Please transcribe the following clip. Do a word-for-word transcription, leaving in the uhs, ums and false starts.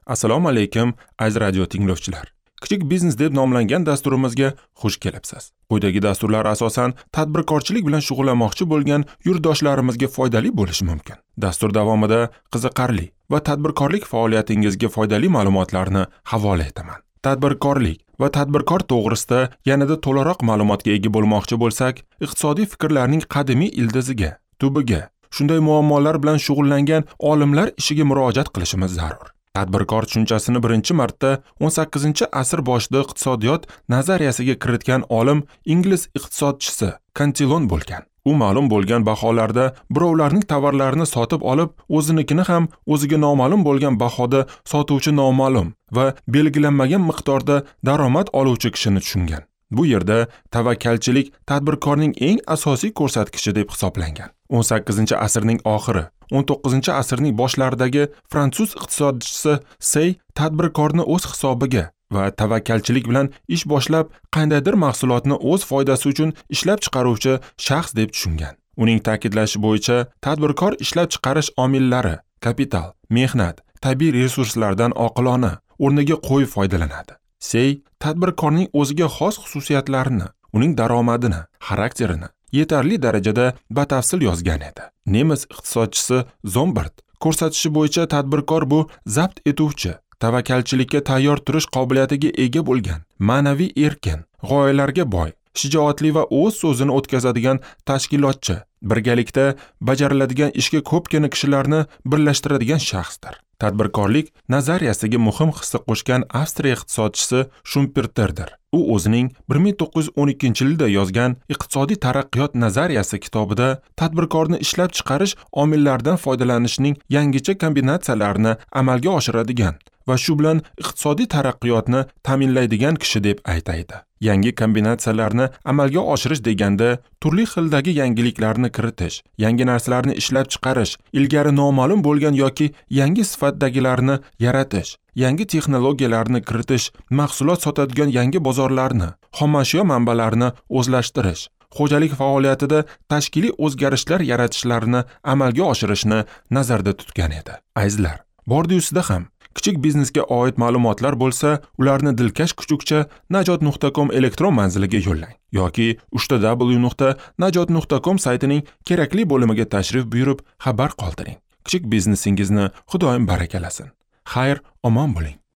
Assalomu alaykum, aziz radio tinglovchilar. Kichik biznes deb nomlangan dasturimizga xush kelibsiz. Quyidagi dasturlar asosan tadbirkorchilik bilan shug'ullanmoqchi bo'lgan yurtdoshlarimizga foydali bo'lishi mumkin. Dastur davomida qiziqarli va tadbirkorlik faoliyatingizga foydali ma'lumotlarni havola etaman. Tadbirkorlik va tadbirkor to'g'risida yanada to'laroq ma'lumotga ega bo'lmoqchi bo'lsak, iqtisodiy fikrlarning qadimiy ildiziga, tubiga, shunday muammolar bilan shug'ullangan olimlar ishiga murojaat qilishimiz zarur. Tadbirkor tushunchasini birinchi marta o'n sakkizinchi asr boshida iqtisodiyot nazariyasiga kiritgan olim ingliz iqtisodchisi Kantilon bo'lgan. U ma'lum bo'lgan baholarda birovlarning tovarlarini sotib olib, o'zinikini ham o'ziga noma'lum bo'lgan bahoda sotuvchi noma'lum va belgilanmagan miqdorda daromad oluvchi kishini tushungan. Bu yerda tavakkalchilik tadbirkorning eng asosiy ko'rsatkichi deb hisoblangan. o'n sakkizinchi asrning oxiri, o'n to'qqizinchi asrning boshlaridagi fransuz iqtisodchisi Sey tadbirkorni o'z hisobiga va tavakkalchilik bilan ish boshlab, qandaydir mahsulotni o'z foydasi uchun ishlab chiqaruvchi shaxs deb tushungan. Uning ta'kidlashi bo'yicha tadbirkor ishlab chiqarish omillari, kapital, mehnat, tabiiy resurslardan oqilona, o'rniga qo'yib foydalanadi. Sey tadbirkorning o'ziga xos xususiyatlarini, uning daromadini, xarakterini yetarli darajada batafsil yozgan edi. Nemis iqtisodchisi Zombert ko'rsatishi bo'yicha tadbirkor bu zabt etuvchi, tavakkalchilikka tayyor turish qobiliyatiga ega bo'lgan, ma'naviy erkin, g'oyalarga boy, shijoatli va o'z so'zini o'tkazadigan tashkilotchi, birgalikda bajariladigan ishga ko'pgina kishilarni birlashtiradigan shaxsdir. Tadbirkorlik nazariyasiga muhim hissa qo'shgan Avstriya iqtisodchisi Shumperterdir. U o'zining bir ming to'qqiz yuz o'n ikkinchi yilda yozgan Iqtisodiy taraqqiyot nazariyasi kitobida tadbirkorni ishlab chiqarish omillaridan foydalanishning yangicha kombinatsiyalarini amalga oshiradigan va shu bilan iqtisodiy taraqqiyotni ta'minlaydigan kishi deb aytaydi. Yangi kombinatsiyalarni amalga oshirish deganda turli xildagi yangiliklarni kiritish, yangi narsalarni ishlab chiqarish, ilgari noma'lum bo'lgan yoki yangi sifatdagilarni yaratish, yangi texnologiyalarni kiritish, mahsulot sotadigan yangi bozorlarni, xomashyo manbalarini o'zlashtirish, xo'jalik faoliyatida tashkiliy o'zgarishlar yaratishlarini amalga oshirishni nazarda tutgan edi. Azizlar, bordi-ustida ham kichik biznesga oid ma'lumotlar bo'lsa, ularni dilkash kuchukcha najot nuqta com elektron manziliga yo'llang yoki uchta w nuqta najot nuqta com saytining kerakli bo'limiga tashrif buyurib xabar qoldiring. Kichik biznesingizni Xudoyim barakalasin. Xayr, omon bo'ling.